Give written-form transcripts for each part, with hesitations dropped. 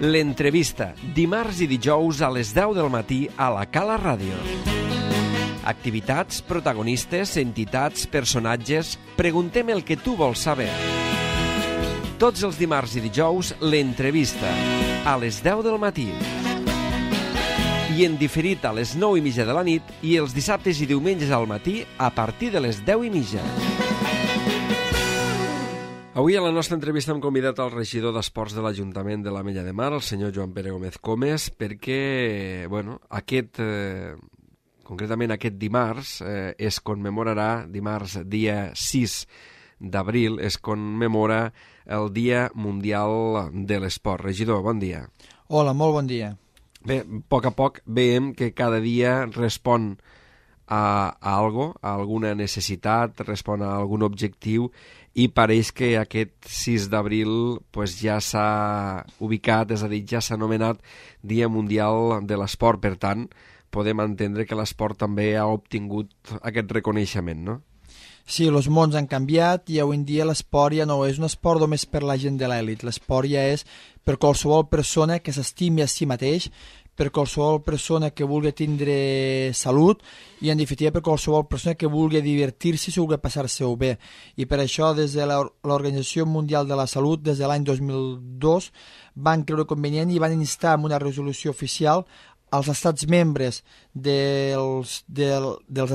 L'entrevista, dimarts i dijous a les 10 del matí a la Cala Ràdio. Activitats, protagonistes, entitats, personatges... Preguntem el que tu vols saber. Tots els dimarts i dijous, l'entrevista, a les 10 del matí. I en diferit a les 9:30 de la nit i els dissabtes i diumenges al matí a partir de les 10:30. Avui a la nostra entrevista hem convidat al regidor d'Esports de l'Ajuntament de l'Ametlla de Mar, el senyor Joan Pere Gómez Comes, perquè, concretament aquest dimarts, es commemorarà, dimarts dia 6 d'abril, es commemora el Dia Mundial de l'Esport. Regidor, bon dia. Hola, molt bon dia. Bé, a poc veiem que cada dia respon a alguna necessitat, respon a algun objectiu, i pareix que aquest 6 d'abril ja s'ha ubicat, és a dir, ja s'ha anomenat Dia Mundial de l'Esport. Per tant, podem entendre que l'esport també ha obtingut aquest reconeixement, no? Sí, els mons han canviat i avui en dia l'esport ja no és un esport només per la gent de l'elit. L'esport ja és per qualsevol persona que s'estimi a si mateix, per qualsevol persona que vulgui tindre salut i, en definitiva, per qualsevol persona que vulgui divertir-se i vulgui passar-se-ho bé. I per això, des de l'Organització Mundial de la Salut, des de l'any 2002, van creure convenient i van instar amb una resolució oficial als estats membres dels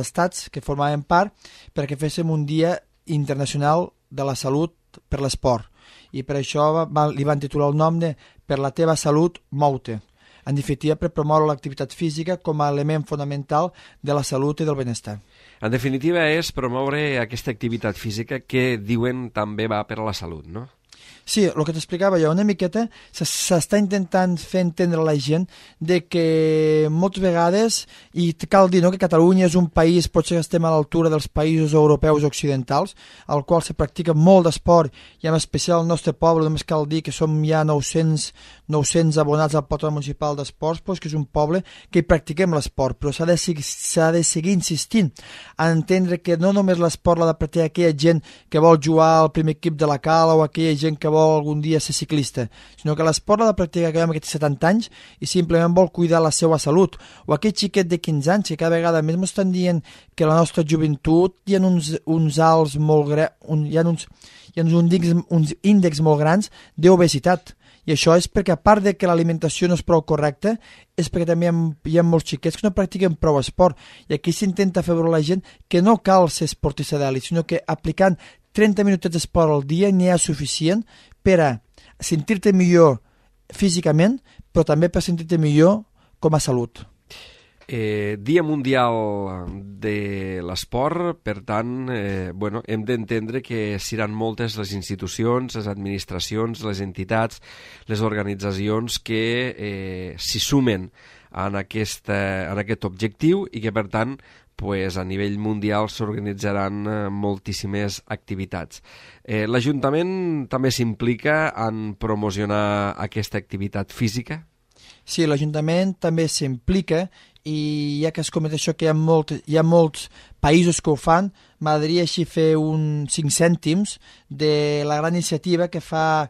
estats que formaven part perquè féssim un dia internacional de la salut per l'esport. I per això li van titular el nom de Per la teva salut, mou-te. En definitiva, per promoure l'activitat física com a element fonamental de la salut i del benestar. En definitiva, és promoure aquesta activitat física que diuen també va per a la salut, no? Sí, el que t'explicava jo, una miqueta s'està intentant fer entendre a la gent de que moltes vegades, i cal dir que Catalunya és un país, potser estem a l'altura dels països europeus occidentals, al qual se practica molt d'esport, i en especial el nostre poble, només cal dir que som ja 900 abonats al Patronat Municipal d'Esports, que és un poble que hi practiquem l'esport, però s'ha de seguir insistint a entendre que no només l'esport l'ha de practicar aquella gent que vol jugar al primer equip de la cala o aquella gent que vol algun dia ser ciclista, sinó que l'esport l'ha de practicar aquell home que té 70 anys i simplement vol cuidar la seva salut, o aquell xiquet de 15 anys que cada vegada més m'estan dient que la nostra joventut hi ha uns alts molt hi ha uns índexs molt grans d'obesitat. I això és perquè, a part de que l'alimentació no és prou correcta, és perquè també hi ha molts xiquets que no practiquen prou esport. I aquí s'intenta fer veure a la gent que no cal ser esportista d'elit, sinó que aplicant 30 minutets d'esport al dia n'hi ha suficient per a sentir-te millor físicament, però també per sentir-te millor com a salut. Dia Mundial de l'Esport, per tant, hem d'entendre que seran moltes les institucions, les administracions, les entitats, les organitzacions que s'hi sumen en aquest objectiu i que, per tant, a nivell mundial s'organitzaran moltíssimes activitats. L'Ajuntament també s'implica en promocionar aquesta activitat física? Sí, l'Ajuntament també s'implica i ja que es comenta això que hi ha molts països que ho fan, m'agradaria així fer uns 5 cèntims de la gran iniciativa que fa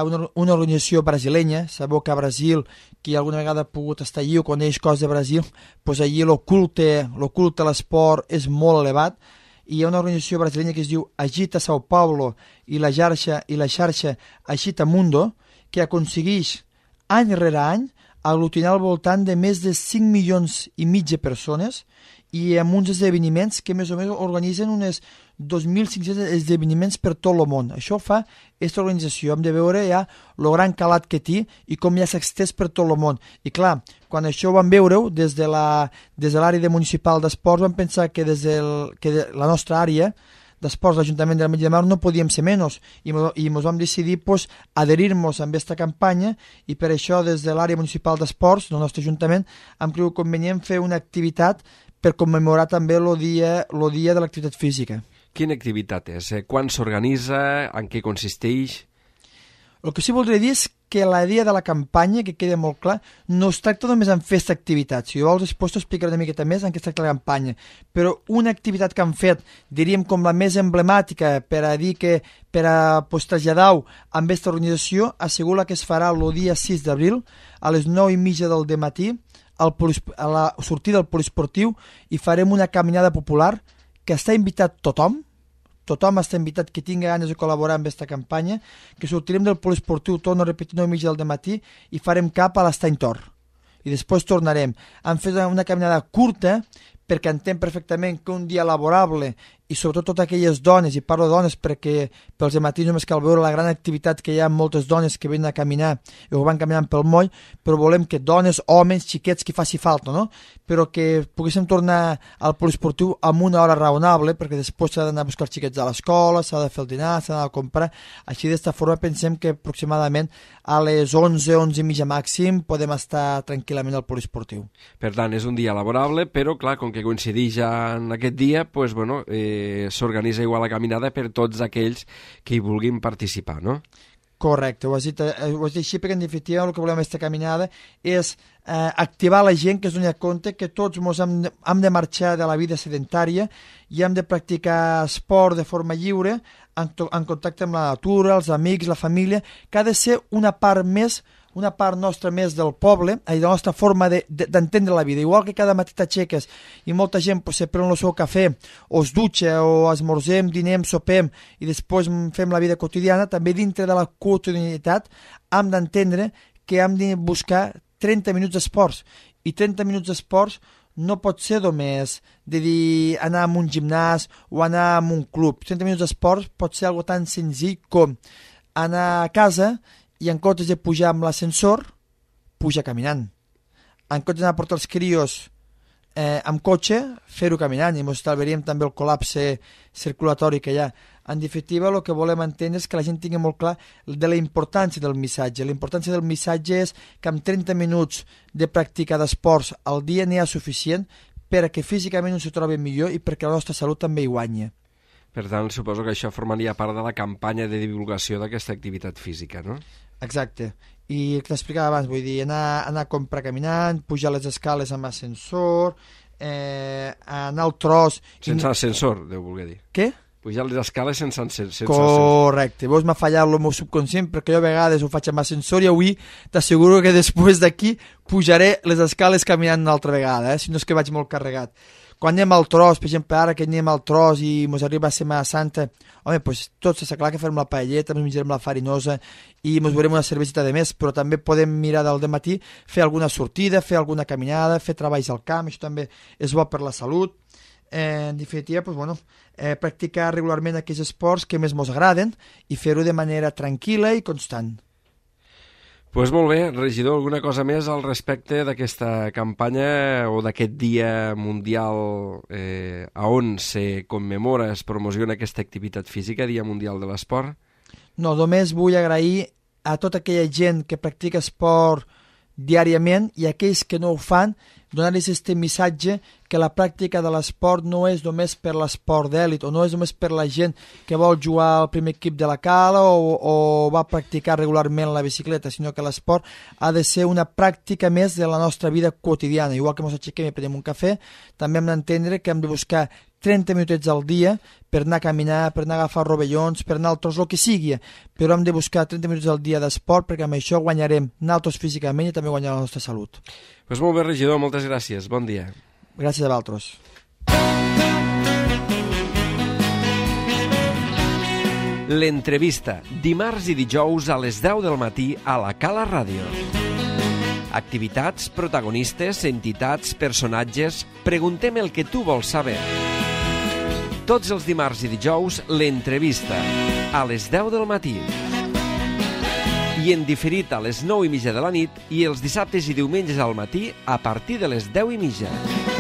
una organització brasilenya. Sabeu que a Brasil, qui alguna vegada ha pogut estar allí o coneix coses de Brasil, doncs allí l'oculte a l'esport és molt elevat, i hi ha una organització brasilenya que es diu Agita São Paulo i la xarxa Agita Mundo, que aconsegueix any rere any aglutinar al voltant de més de 5,5 milions de persones i amb uns esdeveniments que més o menys organitzen unes 2.500 esdeveniments per tot el món. Això fa aquesta organització. Hem de veure ja el gran calat que té i com ja s'ha estès per tot el món. I clar, quan això ho vam veure des de l'àrea municipal d'esports, vam pensar que des de la nostra àrea d'esports, l'Ajuntament de l'Ametlla de Mar, no podíem ser menys i ens vam decidir adherir-nos a aquesta campanya, i per això des de l'àrea municipal d'esports del nostre Ajuntament hem cregut convenient fer una activitat per commemorar també el dia de l'activitat física. Quina activitat és? Quan s'organitza? En què consisteix? El que sí voldria dir és que la idea de la campanya, que queda molt clar, no es tracta només en fer aquesta activitat. Si vols, després t'ho explicaré una miqueta més en què es tracta la campanya. Però una activitat que han fet, diríem com la més emblemàtica per a dir que per a traslladar-ho amb aquesta organització, ha sigut la que es farà el dia 6 d'abril a les 9:30 del matí a la sortida del poliesportiu i farem una caminada popular que està invitat tothom està invitat que tingui ganes de col·laborar amb aquesta campanya, que sortirem del poliesportiu, torno a repetir, 9:30 del matí i farem cap a l'Estany Tor. I després tornarem. Han fet una caminada curta perquè entenc perfectament que un dia laborable i sobretot totes aquelles dones, i parlo de dones perquè pels matins només cal veure la gran activitat que hi ha moltes dones que venen a caminar i ho van caminant pel moll, però volem que dones, homes, xiquets, que faci falta, no? Però que poguéssim tornar al poliesportiu amb una hora raonable, perquè després s'ha d'anar a buscar els xiquets a l'escola, s'ha de fer el dinar, s'ha d'anar a comprar. Així d'esta forma pensem que aproximadament a les 11:30 màxim podem estar tranquil·lament al poliesportiu. Per tant, és un dia laborable, però clar, com que coincideix ja en aquest dia, pues, bueno, s'organitza igual la caminada per tots aquells que hi vulguin participar, no? Correcte, ho has dit així perquè en definitiva el que volem aquesta caminada és activar la gent que es doni compte que tots hem de marxar de la vida sedentària i hem de practicar esport de forma lliure en contacte amb la natura, els amics, la família, que ha de ser una part nostra més del poble, de la nostra forma d'entendre la vida. Igual que cada matí t'aixeques i molta gent se pren el seu cafè, o es dutxa, o esmorzem, dinem, sopem, i després fem la vida quotidiana, també dintre de la quotidianitat hem d'entendre que hem de buscar 30 minuts d'esports. I 30 minuts d'esports no pot ser només de dir anar a un gimnàs o anar a un club. 30 minuts d'esports pot ser algo tan senzill com anar a casa i en comptes de pujar amb l'ascensor, puja caminant. En comptes d'anar a portar els crios amb cotxe, fer-ho caminant, i ens estalviaríem també el col·lapse circulatori que hi ha. En definitiva, el que volem entendre és que la gent tingui molt clar de la importància del missatge. La importància del missatge és que amb 30 minuts de pràctica d'esports al dia n'hi ha suficient perquè físicament ens ho trobi millor i perquè la nostra salut també hi guanya. Per tant, suposo que això formaria part de la campanya de divulgació d'aquesta activitat física, no? Exacte. I el que t'explicava abans, vull dir, anar a comprar caminant, pujar les escales amb ascensor, anar al tros... Sense ascensor, deu voler dir. Què? Pujar les escales sense ascensor. Correcte. Vos m'ha fallat el meu subconscient perquè jo a vegades ho faig amb ascensor i avui t'asseguro que després d'aquí pujaré les escales caminant una altra vegada, si no és que vaig molt carregat. Quan anem al tros, per exemple, ara que anem al tros i ens arriba a Setmana Santa, home, doncs tot està clar que farem la paelleta, ens menjarem la farinosa i ens veurem una cervesita de més, però també podem mirar del matí, fer alguna sortida, fer alguna caminada, fer treballs al camp, això també és bo per la salut. En definitiva, doncs, bueno, practicar regularment aquells esports que més ens agraden i fer-ho de manera tranquil·la i constant. Doncs molt bé, regidor, alguna cosa més al respecte d'aquesta campanya o d'aquest dia mundial a on se commemora, es promociona aquesta activitat física, Dia Mundial de l'Esport? No, només vull agrair a tota aquella gent que practica esport diàriament i aquells que no ho fan, donar-los este missatge que la pràctica de l'esport no és només per l'esport d'èlit o no és només per la gent que vol jugar al primer equip de la cala o va practicar regularment la bicicleta, sinó que l'esport ha de ser una pràctica més de la nostra vida quotidiana. Igual que ens aixequem i prenem un cafè, també hem d'entendre que hem de buscar 30 minutets al dia per anar a caminar, per anar a agafar rovellons, per anar al tros, el que sigui, però hem de buscar 30 minuts al dia d'esport perquè amb això guanyarem nosaltres físicament i també guanyarem la nostra salut. Doncs molt bé, regidor, moltes gràcies. Bon dia. Gràcies a vosaltres. L'entrevista, dimarts i dijous a les 10 del matí a la Cala Ràdio. Activitats, protagonistes, entitats, personatges... Preguntem el que tu vols saber. Tots els dimarts i dijous, l'entrevista, a les 10 del matí. I en diferit a les 9:30 de la nit i els dissabtes i diumenges al matí a partir de les 10:30.